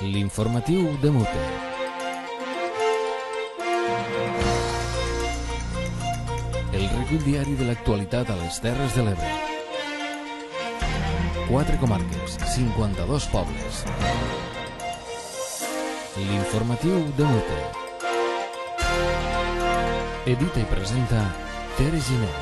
L'informatiu de Mute. El recull diari de l'actualitat a les Terres de l'Ebre. 4 comarques, 52 pobles. L'informatiu de Mute. Edita i presenta Tere Giner.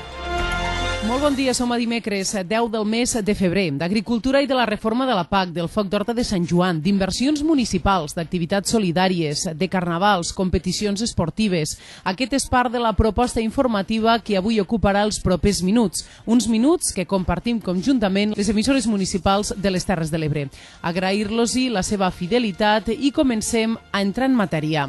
Molt bon dia, som a dimecres 10 del mes de febrer. D'agricultura i de la reforma de la PAC, del Foc d'Horta de Sant Joan, d'inversions municipals, d'activitats solidàries, de carnavals, competicions esportives. Aquest és part de la proposta informativa que avui ocuparà els propers minuts. Uns minuts que compartim conjuntament les emissores municipals de les Terres de l'Ebre. Agrair-los-hi la seva fidelitat i comencem a entrar en matèria.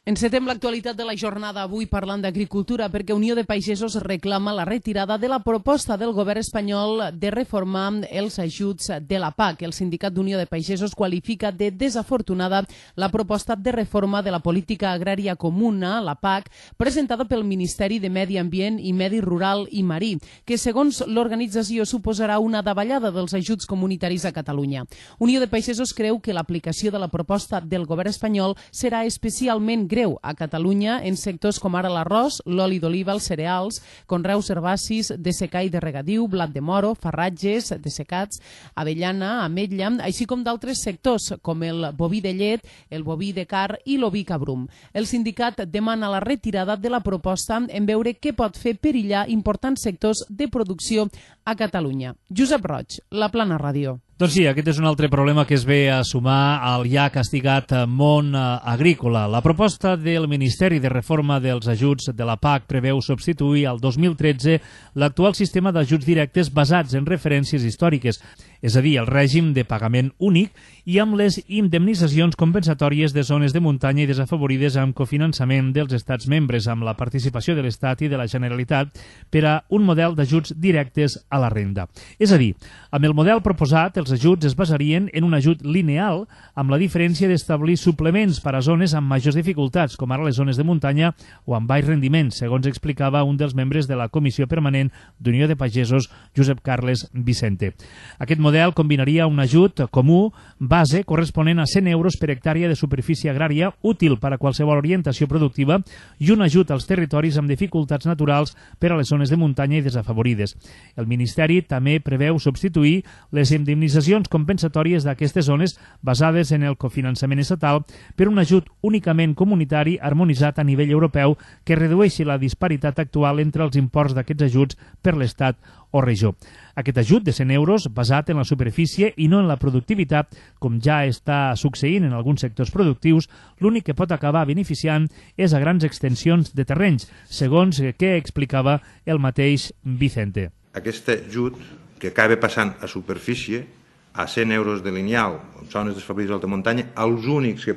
Encetem l'actualitat de la jornada avui parlant d'agricultura perquè Unió de Pagesos reclama la retirada de la proposta del govern espanyol de reformar els ajuts de la PAC. El sindicat d'Unió de Pagesos qualifica de desafortunada la proposta de reforma de la política agrària comuna, la PAC, presentada pel Ministeri de Medi Ambient i Medi Rural i Marí, que segons l'organització suposarà una davallada dels ajuts comunitaris a Catalunya. Unió de Pagesos creu que l'aplicació de la proposta del govern espanyol serà especialment greu a Catalunya en sectors com ara l'arròs, l'oli d'oliva, els cereals, conreus herbacis de secà i de regadiu, blat de moro, farratges dessecats, avellana, ametlla, així com d'altres sectors com el boví de llet, el boví de car i l'oví cabrum. El sindicat demana la retirada de la proposta en veure què pot fer perillar importants sectors de producció a Catalunya. Josep Roig, La Plana Ràdio. Doncs sí, aquest és un altre problema que es ve a sumar al ja castigat món agrícola. La proposta del Ministeri de Reforma dels Ajuts de la PAC preveu substituir al 2013 l'actual sistema d'ajuts directes basats en referències històriques, és a dir, el règim de pagament únic i amb les indemnitzacions compensatòries de zones de muntanya i desafavorides amb cofinançament dels estats membres, amb la participació de l'Estat i de la Generalitat per a un model d'ajuts directes a la renda. És a dir, amb el model proposat, els ajuts es basarien en un ajut lineal amb la diferència d'establir suplements per a zones amb majors dificultats, com ara les zones de muntanya o amb baix rendiment, segons explicava un dels membres de la Comissió Permanent d'Unió de Pagesos, Josep Carles Vicente. Aquest model combinaria un ajut comú base corresponent a 100 euros per hectàrea de superfície agrària útil per a qualsevol orientació productiva i un ajut als territoris amb dificultats naturals per a les zones de muntanya i desafavorides. El Ministeri també preveu substituir les indemnitzacions compensatòries d'aquestes zones basades en el cofinançament estatal per un ajut únicament comunitari harmonitzat a nivell europeu que redueixi la disparitat actual entre els imports d'aquests ajuts per l'Estat o regió. Aquest ajut de 100 euros basat en la superfície i no en la productivitat, com ja està succeint en alguns sectors productius, l'únic que pot acabar beneficiant és a grans extensions de terrenys, segons que explicava el mateix Vicente. Aquest ajut que acaba passant a superfície a 100 euros de lineal en zones desfavorides d'alta muntanya, els únics que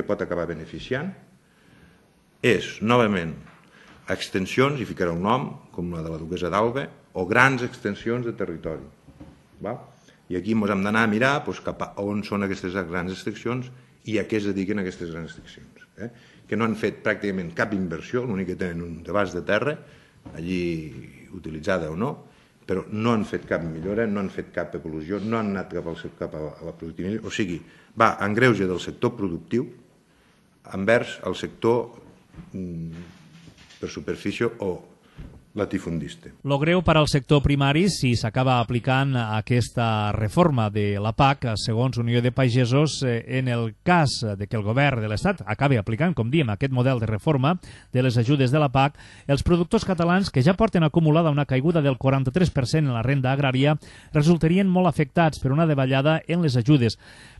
pot acabar beneficiant és, novament, extensions, i ficarà un nom, com la de la Duquesa d'Alba, o grans extensions de territori. I aquí ens hem d'anar a mirar cap a on són aquestes grans extensions i a què es dediquen aquestes grans extensions. Que no han fet pràcticament cap inversió, l'únic que tenen un abast de terra, allí utilitzada o no, però no han fet cap millora, no han fet cap evolució, no han anat cap a la productivitat, o sigui, va en greuge del sector productiu envers el sector per superfície o latifundista. Lo greu per al sector primari si s'acaba aplicant aquesta reforma de la PAC, segons Unió de Pagesos, en el cas de que el govern de l'Estat acabi aplicant, com diem, aquest model de reforma de les ajudes de la PAC, els productors catalans, que ja porten acumulada una caiguda del 43% en la renda agrària, resultarien molt afectats per una davallada en les ajudes.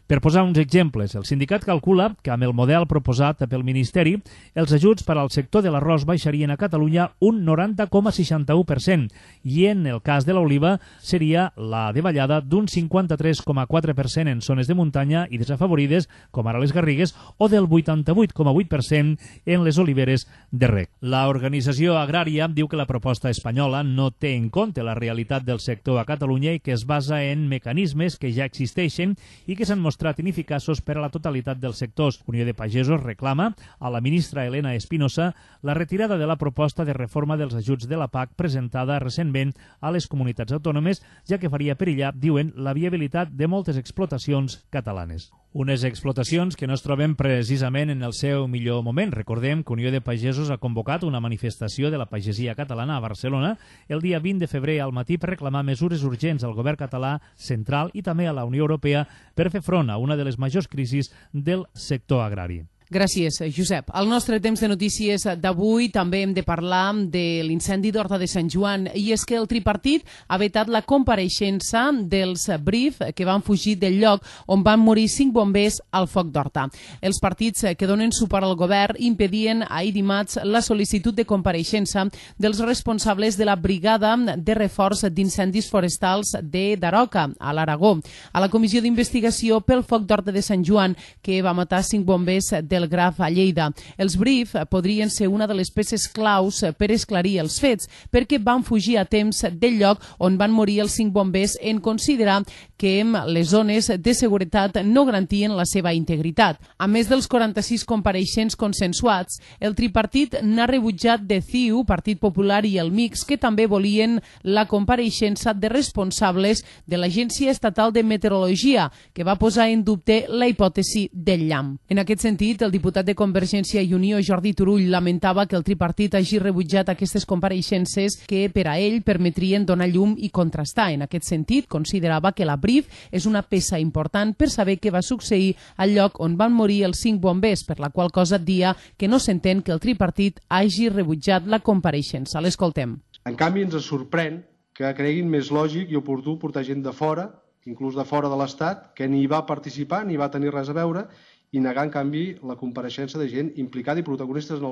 Per posar uns exemples, el sindicat calcula que amb el model proposat pel Ministeri, els ajuts per al sector de l'arròs baixarien a Catalunya un 90,61% i en el cas de l'oliva seria la davallada d'un 53,4% en zones de muntanya i desafavorides, com ara les Garrigues, o del 88,8% en les oliveres de rec. L'organització agrària diu que la proposta espanyola no té en compte la realitat del sector a Catalunya i que es basa en mecanismes que ja existeixen i que s'han mostrat ineficaços per a la totalitat dels sectors. Unió de Pagesos reclama a la ministra Elena Espinosa la retirada de la proposta de reforma dels ajuts de la PAC presentada recentment a les comunitats autònomes, ja que faria perillar, diuen, la viabilitat de moltes explotacions catalanes. Unes explotacions que no es troben precisament en el seu millor moment. Recordem que Unió de Pagesos ha convocat una manifestació de la pagesia catalana a Barcelona el dia 20 de febrer al matí per reclamar mesures urgents al govern català central i també a la Unió Europea per fer front a una de les majors crisis del sector agrari. Gràcies, Josep. Al nostre temps de notícies d'avui també hem de parlar de l'incendi d'Horta de Sant Joan, i és que el tripartit ha vetat la compareixença dels BRIF que van fugir del lloc on van morir 5 bombers al foc d'Horta. Els partits que donen suport al govern impedien ahir dimarts la sol·licitud de compareixença dels responsables de la brigada de reforç d'incendis forestals de Daroca, a l'Aragó, a la comissió d'investigació pel foc d'Horta de Sant Joan, que va matar 5 bombers del Graf a Lleida. Els BRIF podrien ser una de les peces claus per esclarir els fets, perquè van fugir a temps del lloc on van morir els 5 bombers en considerar que les zones de seguretat no garantien la seva integritat. A més dels 46 compareixents consensuats, el tripartit n'ha rebutjat de CiU, Partit Popular i el MIX, que també volien la compareixença de responsables de l'Agència Estatal de Meteorologia, que va posar en dubte la hipòtesi del llamp. En aquest sentit, el diputat de Convergència i Unió, Jordi Turull, lamentava que el tripartit hagi rebutjat aquestes compareixences que per a ell permetrien donar llum i contrastar. En aquest sentit, considerava que la BRIF és una peça important per saber què va succeir al lloc on van morir els 5 bombers, per la qual cosa dia que no s'entén que el tripartit hagi rebutjat la compareixença. L'escoltem. En canvi, ens sorprèn que creguin més lògic i oportú portar gent de fora, inclús de fora de l'Estat, que ni va participar ni va tenir res a veure, i negar, en canvi, la compareixença de gent implicada i protagonistes en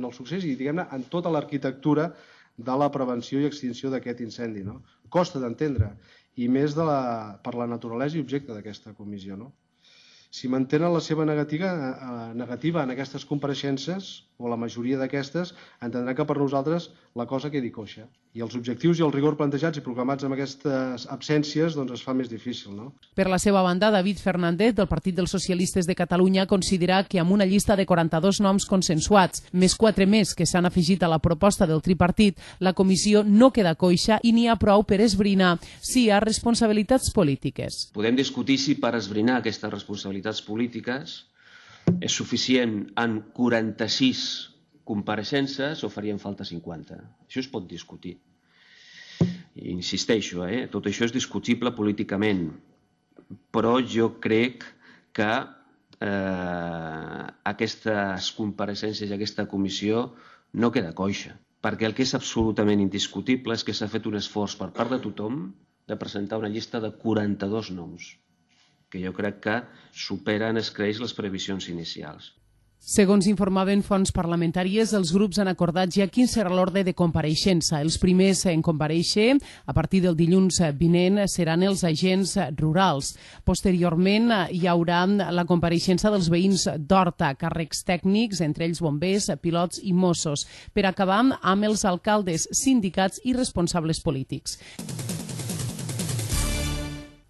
el succés i, diguem-ne, en tota l'arquitectura de la prevenció i extinció d'aquest incendi. No? Costa d'entendre, i més per la naturalesa i objecte d'aquesta comissió. No? Si mantenen la seva negativa en aquestes compareixences, o la majoria d'aquestes, entendran que per nosaltres la cosa quedi coixa. I els objectius i el rigor plantejats i proclamats amb aquestes absències doncs es fa més difícil. No? Per la seva banda, David Fernández, del Partit dels Socialistes de Catalunya, considera que amb una llista de 42 noms consensuats, més 4 més que s'han afegit a la proposta del tripartit, la comissió no queda coixa i n'hi ha prou per esbrinar si hi ha responsabilitats polítiques. Podem discutir si per esbrinar aquestes responsabilitats polítiques és suficient en 46 compareixences o farien falta 50. Això es pot discutir. I insisteixo, tot això és discutible políticament, però jo crec que aquestes compareixences i aquesta comissió no queda coixa, perquè el que és absolutament indiscutible és que s'ha fet un esforç per part de tothom de presentar una llista de 42 noms, que jo crec que superen escreix les previsions inicials. Segons informaven fonts parlamentàries, els grups han acordat ja quin serà l'ordre de compareixença. Els primers en comparèixer a partir del dilluns vinent seran els agents rurals. Posteriorment hi haurà la compareixença dels veïns d'Horta, càrrecs tècnics, entre ells bombers, pilots i Mossos, per acabar amb els alcaldes, sindicats i responsables polítics.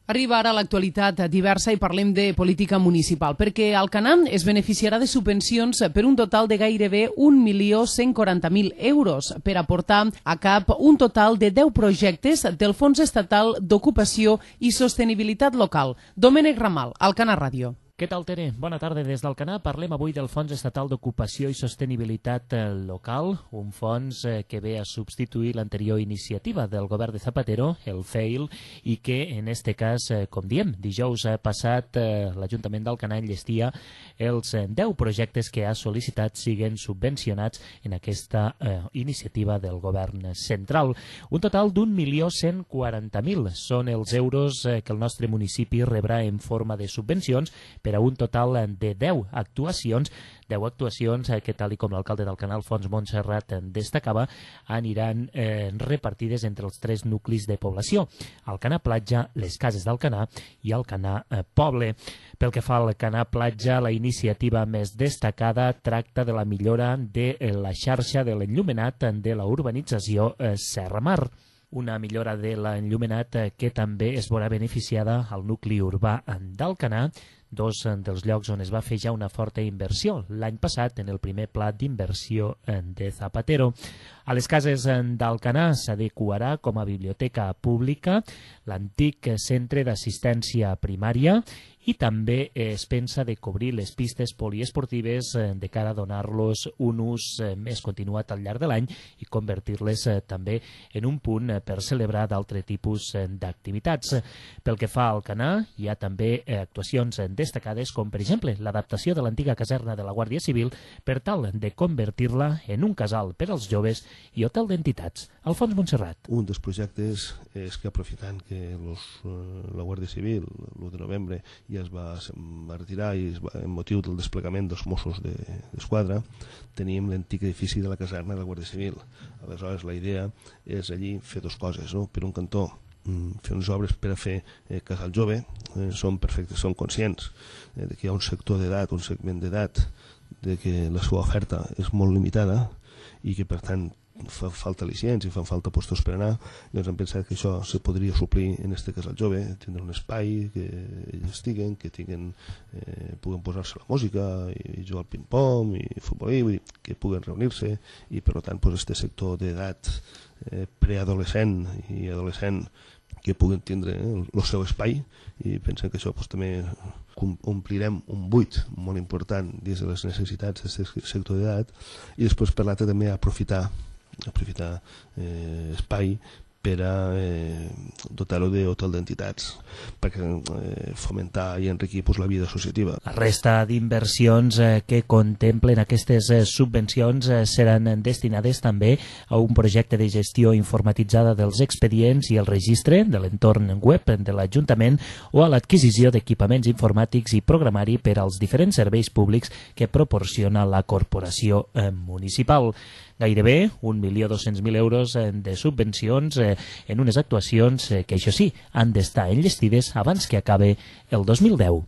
Arriba ara l'actualitat diversa i parlem de política municipal, perquè Alcanar es beneficiarà de subvencions per un total de gairebé 1.140.000 euros per aportar a cap un total de 10 projectes del Fons Estatal d'Ocupació i Sostenibilitat Local. Domènec Ramal, Alcanar Ràdio. Què tal, Tere? Bona tarda des d'Alcanar. Parlem avui del Fons Estatal d'Ocupació i Sostenibilitat Local, un fons que ve a substituir l'anterior iniciativa del govern de Zapatero, el FEIL, i que, en este cas, com diem, dijous passat l'Ajuntament d'Alcanar enllestia els 10 projectes que ha sol·licitat siguen subvencionats en aquesta iniciativa del govern central. Un total d'1.140.000 són els euros que el nostre municipi rebrà en forma de subvencions per a un total de 10 actuacions que, tal com l'alcalde d'Alcanar, Alfons Montserrat, destacava, aniran repartides entre els 3 nuclis de població: Alcanar Platja, les Cases d'Alcanar i Alcanar Poble. Pel que fa a Alcanar Platja, la iniciativa més destacada tracta de la millora de la xarxa de l'enllumenat de la urbanització Serra Mar. Una millora de l'enllumenat que també es veurà beneficiada al nucli urbà d'Alcanar, dos dels llocs on es va fer ja una forta inversió l'any passat en el primer pla d'inversió de Zapatero. A les cases d'Alcanar s'adequarà com a biblioteca pública l'antic centre d'assistència primària i també es pensa de cobrir les pistes poliesportives de cara a donar-los un ús més continuat al llarg de l'any i convertir-les també en un punt per celebrar d'altre tipus d'activitats. Pel que fa al Alcanar, hi ha també actuacions destacades com, per exemple, l'adaptació de l'antiga caserna de la Guàrdia Civil per tal de convertir-la en un casal per als joves i hotel d'entitats. Alfons Montserrat. Un dels projectes és que aprofitant que la Guàrdia Civil l'1 de novembre ja es va retirar i en motiu del desplegament dels Mossos d'Esquadra teníem l'antic edifici de la caserna de la Guàrdia Civil. Aleshores la idea és allí fer dues coses, no? Per un cantó fer unes obres per a fer casal jove, som conscients que hi ha un sector d'edat, un segment d'edat de que la seva oferta és molt limitada i que per tant fa falta al·licients i fan falta postos per anar, doncs hem pensat que això se podria suplir en este casal jove, tindre un espai que ells estiguen, que puguen posar-se la música i jugar al ping-pong i futbolí, que puguen reunir-se i per tant este sector d'edat preadolescent i adolescent que puguen tindre el seu espai i pensem que això també omplirem un buit molt important dins de les necessitats d'aquest sector d'edat i després per l'altre també aprofitar espai per a dotar-ho d'hotel d'entitats perquè fomentar i enriquir la vida associativa. La resta d'inversions que contemplen aquestes subvencions seran destinades també a un projecte de gestió informatitzada dels expedients i el registre de l'entorn web de l'Ajuntament o a l'adquisició d'equipaments informàtics i programari per als diferents serveis públics que proporciona la corporació municipal. Gairebé 1.200.000 euros de subvencions en unes actuacions que, això sí, han d'estar enllestides abans que acabe el 2010.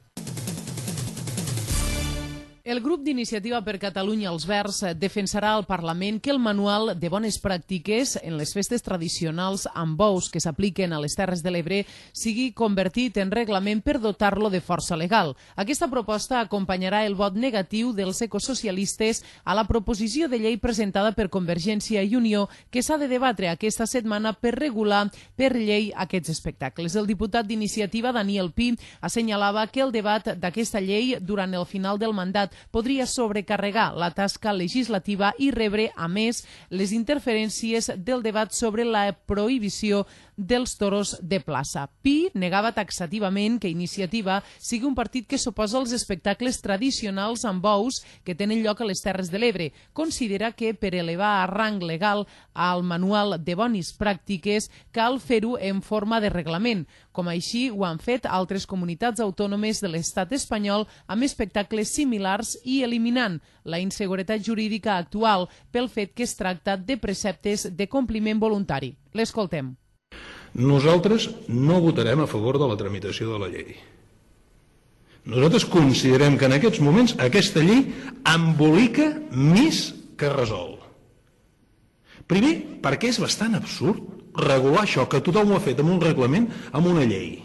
El grup d'Iniciativa per Catalunya Els Verds defensarà al Parlament que el manual de bones pràctiques en les festes tradicionals amb bous que s'apliquen a les Terres de l'Ebre sigui convertit en reglament per dotar-lo de força legal. Aquesta proposta acompanyarà el vot negatiu dels ecosocialistes a la proposició de llei presentada per Convergència i Unió que s'ha de debatre aquesta setmana per regular per llei aquests espectacles. El diputat d'Iniciativa, Daniel Pi, assenyalava que el debat d'aquesta llei durant el final del mandat podria sobrecarregar la tasca legislativa i rebre, a més, les interferències del debat sobre la prohibició dels toros de plaça. Pi negava taxativament que Iniciativa sigui un partit que s'oposa als espectacles tradicionals amb bous que tenen lloc a les Terres de l'Ebre. Considera que per elevar a rang legal al manual de bones pràctiques cal fer-ho en forma de reglament, com així ho han fet altres comunitats autònomes de l'estat espanyol amb espectacles similars i eliminant la inseguretat jurídica actual pel fet que es tracta de preceptes de compliment voluntari. L'escoltem. Nosaltres no votarem a favor de la tramitació de la llei. Nosaltres considerem que en aquests moments aquesta llei embolica més que resol. Primer, perquè és bastant absurd regular això, que tothom ho ha fet amb un reglament, amb una llei.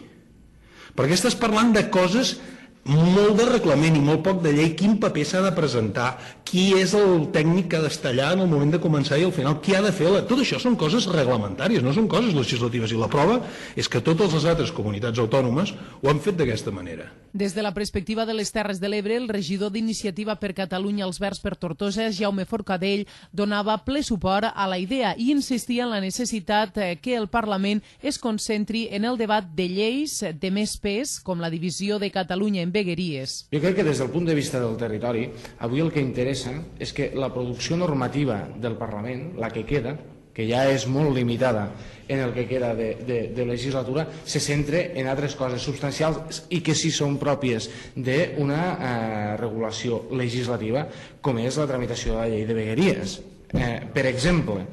Perquè estàs parlant de coses molt de reglament i molt poc de llei, quin paper s'ha de presentar, qui és el tècnic que ha d'estar allà en el moment de començar i al final qui ha de fer... Tot això són coses reglamentàries, no són coses legislatives, i la prova és que totes les altres comunitats autònomes ho han fet d'aquesta manera. Des de la perspectiva de les Terres de l'Ebre, el regidor d'Iniciativa per Catalunya Els Verds per Tortosa, Jaume Forcadell, donava ple suport a la idea i insistia en la necessitat que el Parlament es concentri en el debat de lleis de més pes, com la divisió de Catalunya en vegueries. Jo crec que des del punt de vista del territori, avui el que interessa és que la producció normativa del Parlament, la que queda, que ja és molt limitada en el que queda de legislatura, se centre en altres coses substancials i que sí són pròpies d'una regulació legislativa, com és la tramitació de la llei de vegueries. Per exemple,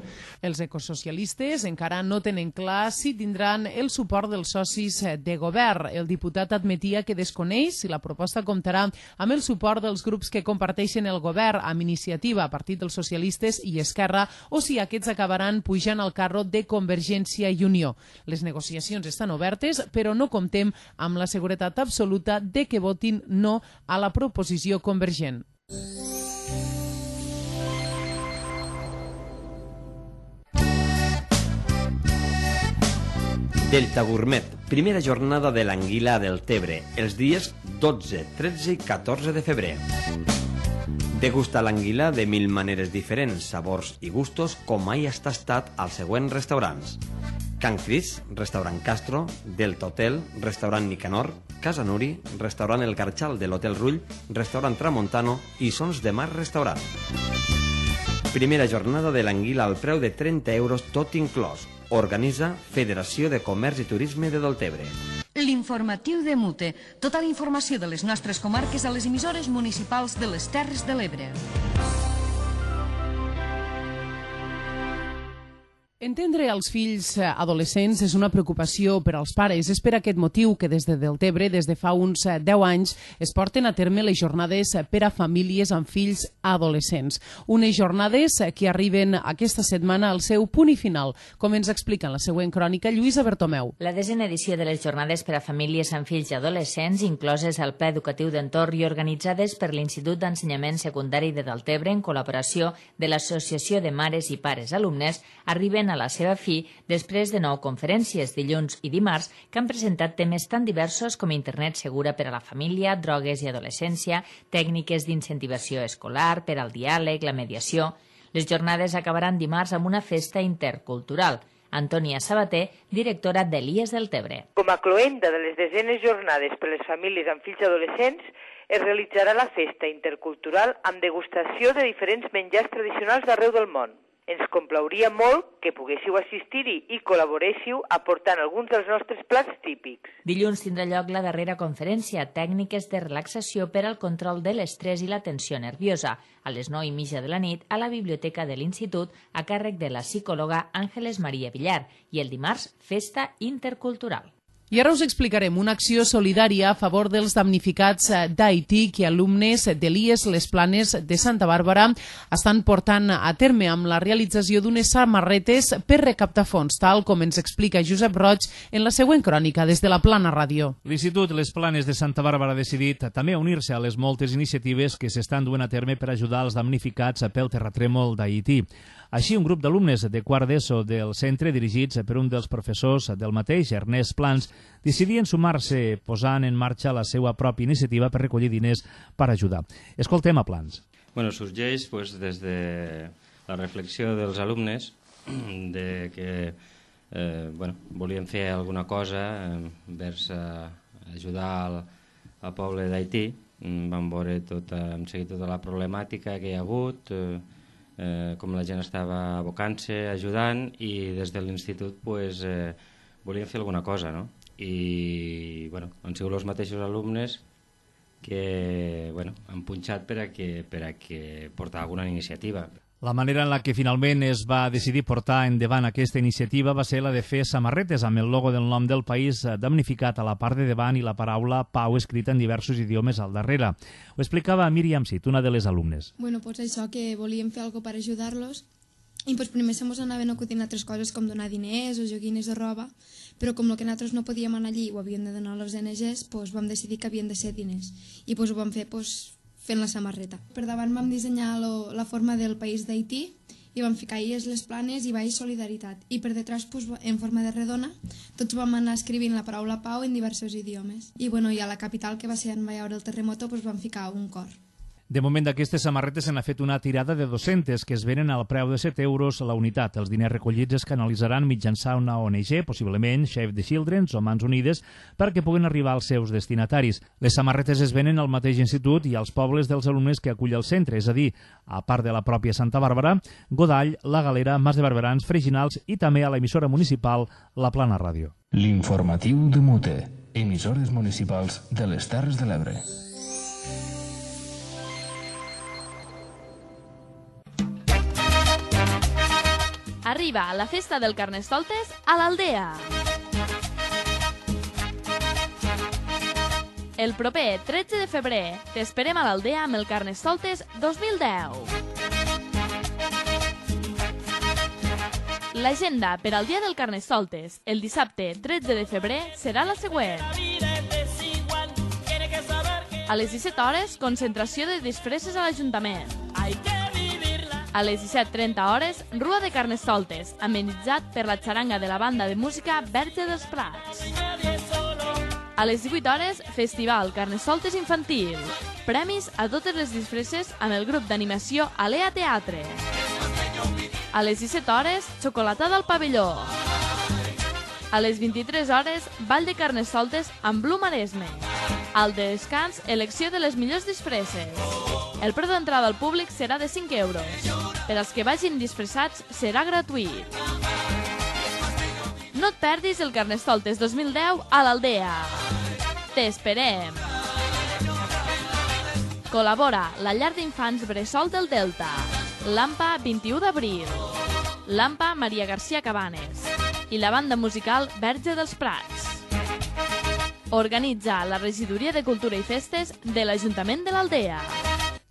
els ecosocialistes encara no tenen clar si tindran el suport dels socis de govern. El diputat admetia que desconeix si la proposta comptarà amb el suport dels grups que comparteixen el govern, amb Iniciativa, Partit dels Socialistes i Esquerra, o si aquests acabaran pujant al carro de Convergència i Unió. Les negociacions estan obertes, però no comptem amb la seguretat absoluta de que votin no a la proposició convergent. Delta Gourmet, primera jornada de l'anguila del Tebre, els dies 12, 13 i 14 de febrer. Degusta l'anguila de 1000 maneres diferents, sabors i gustos, com mai has tastat als següents restaurants: Can Cris, restaurant Castro, Delta Hotel, restaurant Nicanor, Casa Nuri, restaurant El Garxal de l'Hotel Rull, restaurant Tramontano i Sons de Mar Restaurant. Primera jornada de l'anguila al preu de 30 euros tot inclòs. Organitza Federació de Comerç i Turisme de Deltebre. L'informatiu de Mute. Tota la informació de les nostres comarques a les emissores municipals de les Terres de l'Ebre. Entendre els fills adolescents és una preocupació per als pares. És per aquest motiu que des de Deltebre, des de fa uns 10 anys, es porten a terme les jornades per a famílies amb fills adolescents. Unes jornades que arriben aquesta setmana al seu punt i final, com ens explica en la següent crònica Lluïsa Bertomeu. La 10ª edició de les jornades per a famílies amb fills adolescents, incloses al Pla Educatiu d'Entorn i organitzades per l'Institut d'Ensenyament Secundari de Deltebre en col·laboració de l'Associació de Mares i Pares Alumnes, arriben a la seva fi després de 9 conferències, dilluns i dimarts, que han presentat temes tan diversos com internet segura per a la família, drogues i adolescència, tècniques d'incentivació escolar, per al diàleg, la mediació. Les jornades acabaran dimarts amb una festa intercultural. Antònia Sabater, directora d'Elies Deltebre. Com a cloenda de les 10enes jornades per a les famílies amb fills adolescents, es realitzarà la festa intercultural amb degustació de diferents menjars tradicionals d'arreu del món. Ens complauria molt que poguéssiu assistir-hi i col·laboréssiu aportant alguns dels nostres plats típics. Dilluns tindrà lloc la darrera conferència, tècniques de relaxació per al control de l'estrès i la tensió nerviosa, a les 9:30 de la nit a la biblioteca de l'Institut, a càrrec de la psicòloga Àngeles Maria Villar, i el dimarts, festa intercultural. I ara us explicarem una acció solidària a favor dels damnificats d'Haití que alumnes d'Elies Les Planes de Santa Bàrbara estan portant a terme amb la realització d'unes samarretes per recaptar fons, tal com ens explica Josep Roig en la següent crònica des de la Plana Ràdio. L'Institut Les Planes de Santa Bàrbara ha decidit també unir-se a les moltes iniciatives que s'estan duent a terme per ajudar els damnificats pel terratrèmol d'Haití. Així, un grup d'alumnes de quart d'ESO del centre, dirigits per un dels professors del mateix, Ernest Plans, decidien sumar-se posant en marxa la seva pròpia iniciativa per recollir diners per ajudar. Escoltem a Plans. Sorgeix des de la reflexió dels alumnes de que volien fer alguna cosa vers ajudar al poble d'Haití. Vam veure hem seguit tota la problemàtica que hi ha hagut, com la gent estava abocant-se, ajudant, i des de l'institut volíem fer alguna cosa, no? I han sigut els mateixos alumnes que han punxat per a que portar alguna iniciativa. La manera en la que finalment es va decidir portar endavant aquesta iniciativa va ser la de fer samarretes amb el logo del nom del país damnificat a la part de davant i la paraula Pau escrita en diversos idiomes al darrere. Ho explicava Míriam Cid, una de les alumnes. Això, que volíem fer alguna cosa per ajudar-los i primer se mos anaven acudint altres coses com donar diners o joguines o roba, però com el que nosaltres no podíem anar allí i ho havien de donar a les ONGs, vam decidir que havien de ser diners i ho vam fer fent la samarreta. Per davant vam dissenyar la forma del país d'Haití i vam ficar Illes Les Planes i baix solidaritat. I per detrás, en forma de redona, tots vam anar escrivint la paraula pau en diversos idiomes. I a la capital, que va ser en veure el terremoto, vam ficar un cor. De moment d'aquestes samarretes se n'ha fet una tirada de 200 que es venen al preu de 7 euros la unitat. Els diners recollits es canalitzaran mitjançant una ONG, possiblement Save the Children o Mans Unides, perquè puguen arribar als seus destinataris. Les samarretes es venen al mateix institut i als pobles dels alumnes que acull el centre, és a dir, a part de la pròpia Santa Bàrbara, Godall, La Galera, Mas de Barberans, Freginals i també a l'emissora municipal La Plana Ràdio. L'informatiu de Mute, emissores municipals de les Terres de l'Ebre. Arriba la festa del Carnestoltes a l'Aldea. El proper 13 de febrer t'esperem a l'Aldea amb el Carnestoltes 2010. L'agenda per al dia del Carnestoltes, el dissabte 13 de febrer, serà la següent. A les 17 hores, concentració de disfresses a l'Ajuntament. A les 17:30 hores, rua de Carnestoltes, amenitzat per la xaranga de la banda de música Verge dels Prats. A les 18 hores, festival Carnestoltes infantil. Premis a totes les disfresses amb el grup d'animació Alea Teatre. A les 17 hores, xocolatada al pavelló. A les 23 hores, ball de Carnestoltes amb Blu Maresme. Al descans, elecció de les millors disfresses. El preu d'entrada al públic serà de 5 euros. Per als que vagin disfressats, serà gratuït. No et perdis el Carnestoltes 2010 a l'Aldea. T'esperem! Col·labora la llar d'infants Bressol del Delta, l'AMPA 21 d'abril, l'AMPA Maria García Cabanes i la banda musical Verge dels Prats. Organitza la Regidoria de Cultura i Festes de l'Ajuntament de l'Aldea.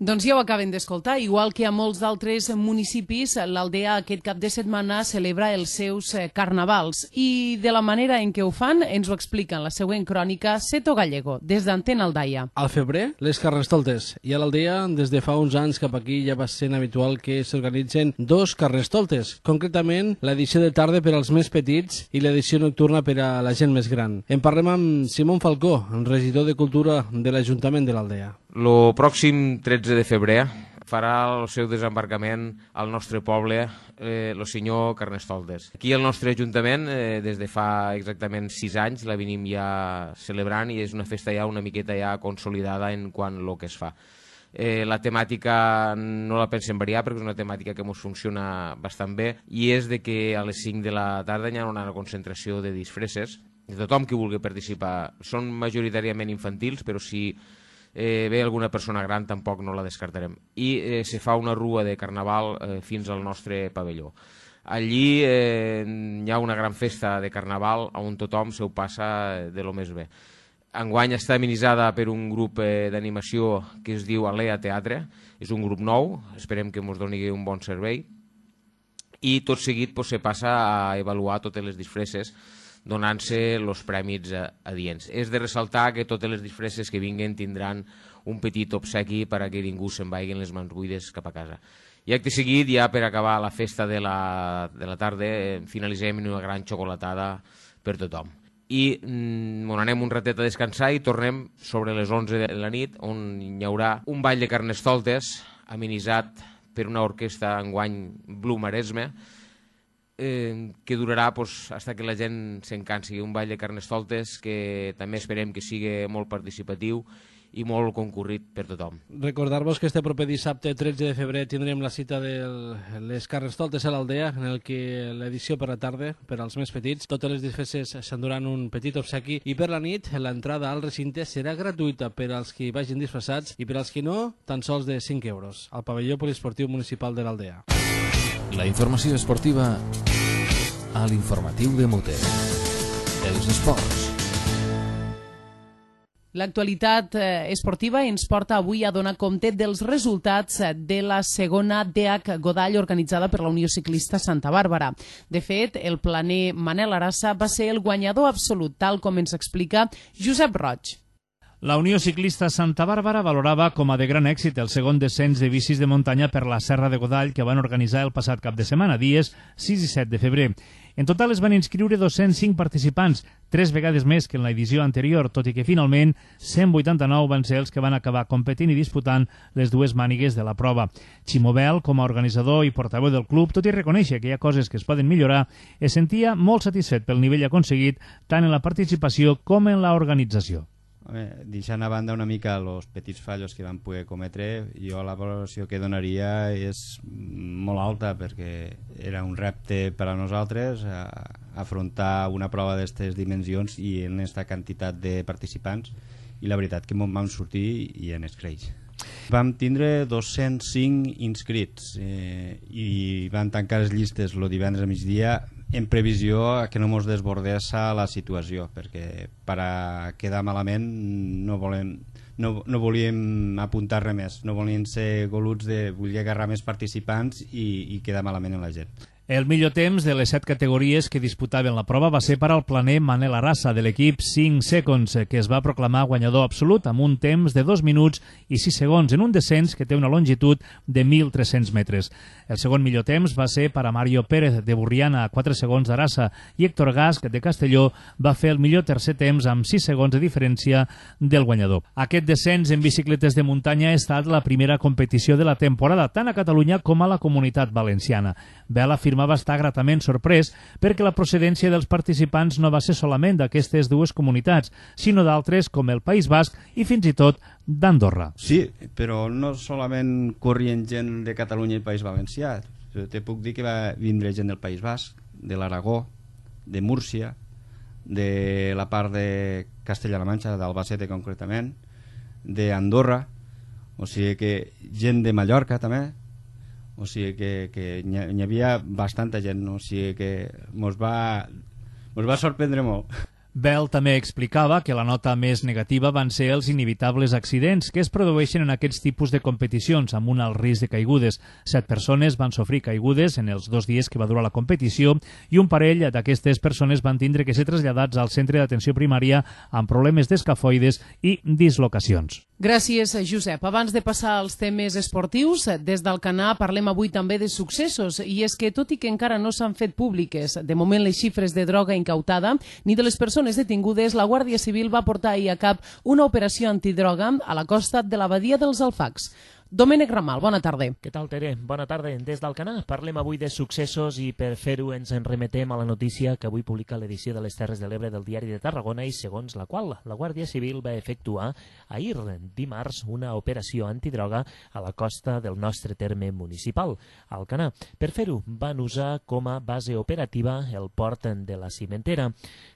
Doncs ja ho acaben d'escoltar, igual que a molts d'altres municipis, l'Aldea aquest cap de setmana celebra els seus carnavals. I de la manera en què ho fan ens ho explica en la següent crònica Seto Gallego, des d'Antena Aldaia. Al febrer, les Carnestoltes. I a l'Aldea, des de fa uns anys cap aquí ja va sent habitual que s'organitzen 2 Carnestoltes, concretament l'edició de tarda per als més petits i l'edició nocturna per a la gent més gran. En parlem amb Simón Falcó, regidor de Cultura de l'Ajuntament de l'Aldea. El pròxim 13 de febrer farà el seu desembarcament al nostre poble el senyor Carnestoltes. Aquí al nostre Ajuntament, des de fa exactament 6 anys, la venim ja celebrant i és una festa ja una miqueta ja consolidada en quant a lo que es fa. La temàtica no la pensem variar perquè és una temàtica que ens funciona bastant bé i és de que a les 5 de la tarda hi ha una concentració de disfresses de tothom que vulgui participar. Són majoritàriament infantils, però si ve alguna persona gran tampoc no la descartarem. I se fa una rua de carnaval fins al nostre pavelló. Allí hi ha una gran festa de carnaval on tothom se ho passa de lo més bé. Enguany està amenitzada per un grup d'animació que es diu Alea Teatre, és un grup nou, esperem que ens doni un bon servei, i tot seguit se passa a avaluar totes les disfresses donant-se els prèmits adients. És de ressaltar que totes les disfresses que vinguen tindran un petit obsequi perquè ningú se'n vagin les mans buides cap a casa. I acte seguit, ja per acabar la festa de la tarda, finalitzem en una gran xocolatada per tothom. I anem un ratet a descansar i tornem sobre les 11 de la nit, on hi haurà un ball de Carnestoltes amenitzat per una orquestra enguany Blu Maresme, que durarà fins que la gent se'n cansi. Un ball de Carnestoltes que també esperem que sigui molt participatiu i molt concurrit per tothom. Recordar-vos que este proper dissabte 13 de febrer tindrem la cita de les Carnestoltes a l'Aldea, en el que l'edició per la tarda, per als més petits, totes les disfresses s'enduran un petit obsequi i per la nit l'entrada al recinte serà gratuïta per als que vagin disfressats i per als que no, tan sols de 5 euros, al pavelló poliesportiu municipal de l'Aldea. La informació esportiva a l'informatiu de Mute. Els esports. L'actualitat esportiva ens porta avui a donar compte dels resultats de la segona DH Godall organitzada per la Unió Ciclista Santa Bàrbara. De fet, el planer Manel Arassa va ser el guanyador absolut, tal com ens explica Josep Roig. La Unió Ciclista Santa Bàrbara valorava com a de gran èxit el segon descens de bicis de muntanya per la Serra de Godall que van organitzar el passat cap de setmana, dies 6 i 7 de febrer. En total es van inscriure 205 participants, 3 vegades més que en l'edició anterior, tot i que finalment 189 van ser els que van acabar competint i disputant les dues mànigues de la prova. Ximobel, com a organitzador i portaveu del club, tot i reconèixer que hi ha coses que es poden millorar, es sentia molt satisfet pel nivell aconseguit tant en la participació com en l'organització. Deixant a banda una mica els petits fallos que van poder cometre, jo la valoració que donaria és molt alta perquè era un repte per a nosaltres afrontar una prova d'aquestes dimensions i en aquesta quantitat de participants, i la veritat que vam sortir i en es creix. Vam tindre 205 inscrits i van tancar les llistes el divendres a migdia en previsió que no ens desbordés la situació, perquè per a quedar malament no volíem apuntar res més, no volíem ser goluts de voler agarrar més participants i quedar malament en la gent. El millor temps de les 7 categories que disputaven la prova va ser per al planer Manel Arrasa, de l'equip 5 Seconds, que es va proclamar guanyador absolut amb un temps de 2 minuts i 6 segons en un descens que té una longitud de 1.300 metres. El segon millor temps va ser per a Mario Pérez, de Burriana, a 4 segons d'Arrasa, i Héctor Gasc, de Castelló, va fer el millor tercer temps amb 6 segons de diferència del guanyador. Aquest descens en bicicletes de muntanya ha estat la primera competició de la temporada, tant a Catalunya com a la Comunitat Valenciana. Bel afirmava estar gratament sorprès perquè la procedència dels participants no va ser solament d'aquestes dues comunitats, sinó d'altres com el País Basc i fins i tot d'Andorra. Sí, però no solament corrien gent de Catalunya i País Valencià. Te puc dir que va vindre gent del País Basc, de l'Aragó, de Múrcia, de la part de Castella-La Manxa, d'Albacete concretament, d'Andorra, o sigui que gent de Mallorca també, o sigui que n'hi havia bastanta gent, o sigui que mos va sorprendre molt. Bell també explicava que la nota més negativa van ser els inevitables accidents que es produeixen en aquests tipus de competicions amb un alt risc de caigudes. 7 persones van sofrir caigudes en els 2 dies que va durar la competició i un parell d'aquestes persones van tindre que ser traslladats al centre d'atenció primària amb problemes d'escafoides i dislocacions. Gràcies, Josep. Abans de passar als temes esportius, des d'Alcanar parlem avui també de successos, i és que tot i que encara no s'han fet públiques de moment les xifres de droga incautada ni de les persones detingudes, la Guàrdia Civil va portar ahir a cap una operació antidroga a la costa de la badia dels Alfacs. Domènec Ramal, bona tarda. Què tal, Tere? Bona tarda. Des d'Alcanar parlem avui de successos i per fer-ho ens en remetem a la notícia que avui publica l'edició de les Terres de l'Ebre del Diari de Tarragona i segons la qual la Guàrdia Civil va efectuar ahir, dimarts, una operació antidroga a la costa del nostre terme municipal, Alcanar. Per fer-ho van usar com a base operativa el port de la Cimentera.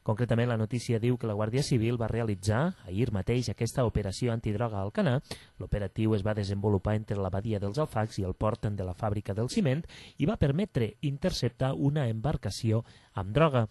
Concretament, la notícia diu que la Guàrdia Civil va realitzar ahir mateix aquesta operació antidroga a Alcanar. L'operatiu es va desenvolupar entre la badia dels Alfacs i el port de la fàbrica del ciment i va permetre interceptar una embarcació amb droga.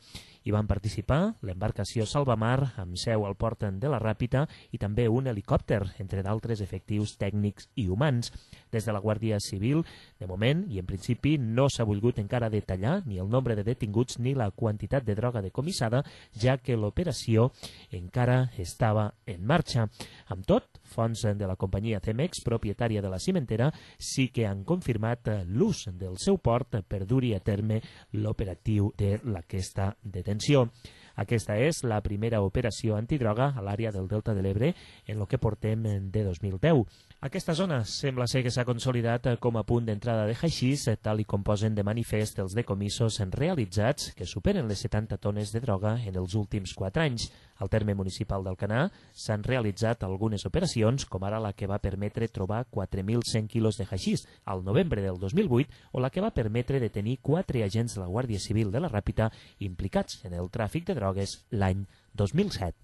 Hi van participar l'embarcació Salvamar, amb seu al port de la Ràpita, i també un helicòpter, entre d'altres efectius tècnics i humans. Des de la Guàrdia Civil, de moment, i en principi, no s'ha volgut encara detallar ni el nombre de detinguts ni la quantitat de droga decomissada, ja que l'operació encara estava en marxa. Amb tot, fonts de la companyia Cemex, propietària de la cimentera, sí que han confirmat l'ús del seu port per dur-hi a terme l'operatiu d'aquesta detenció. Aquesta és la primera operació antidroga a l'àrea del Delta de l'Ebre en el que portem de 2010. Aquesta zona sembla ser que s'ha consolidat com a punt d'entrada de haixís, tal i com posen de manifest els decomissos realitzats, que superen les 70 tones de droga en els últims 4 anys. Al terme municipal d'Alcanar s'han realitzat algunes operacions, com ara la que va permetre trobar 4.100 quilos de haixís al novembre del 2008 o la que va permetre detenir 4 agents de la Guàrdia Civil de la Ràpita implicats en el tràfic de drogues l'any 2007.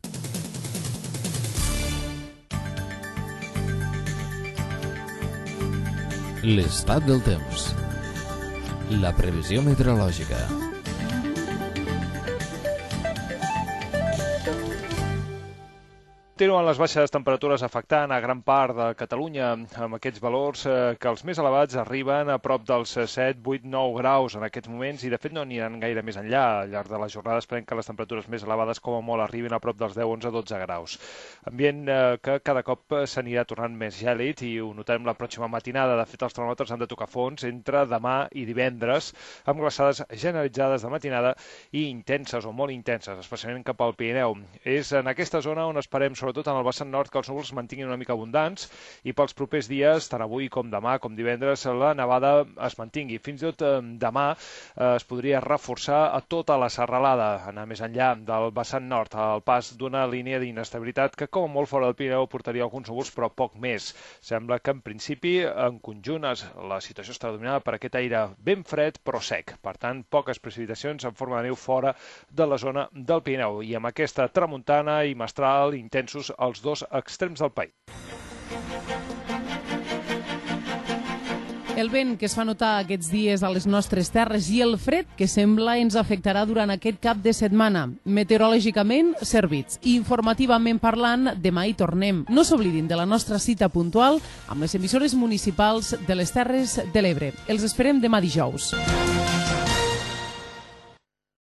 L'estat del temps. La previsió meteorològica. Continuen les baixes temperatures afectant a gran part de Catalunya, amb aquests valors que els més elevats arriben a prop dels 7, 8, 9 graus en aquests moments i de fet no aniran gaire més enllà. Al llarg de la jornada esperem que les temperatures més elevades com a molt arribin a prop dels 10, 11, 12 graus. Ambient que cada cop s'anirà tornant més gèlid i ho notarem la pròxima matinada. De fet, els termòmetres han de tocar fons entre demà i divendres, amb glaçades generalitzades de matinada i intenses o molt intenses, especialment cap al Pirineu. És en aquesta zona on esperem, sobretot en el vessant nord, que els núvols mantinguin una mica abundants i pels propers dies, tant avui com demà, com divendres, la nevada es mantingui. Fins i tot demà es podria reforçar a tota la serralada, anar més enllà del vessant nord, al pas d'una línia d'inestabilitat que com a molt fora del Pirineu portaria alguns núvols, però poc més. Sembla que en principi, en conjunt, la situació està dominada per aquest aire ben fred però sec. Per tant, poques precipitacions en forma de neu fora de la zona del Pirineu. I amb aquesta tramuntana i mestral intensos als dos extrems del país. El vent que es fa notar aquests dies a les nostres terres i el fred que sembla ens afectarà durant aquest cap de setmana. Meteorològicament, servits. Informativament parlant, demà hi tornem. No s'oblidin de la nostra cita puntual amb les emissores municipals de les Terres de l'Ebre. Els esperem demà dijous.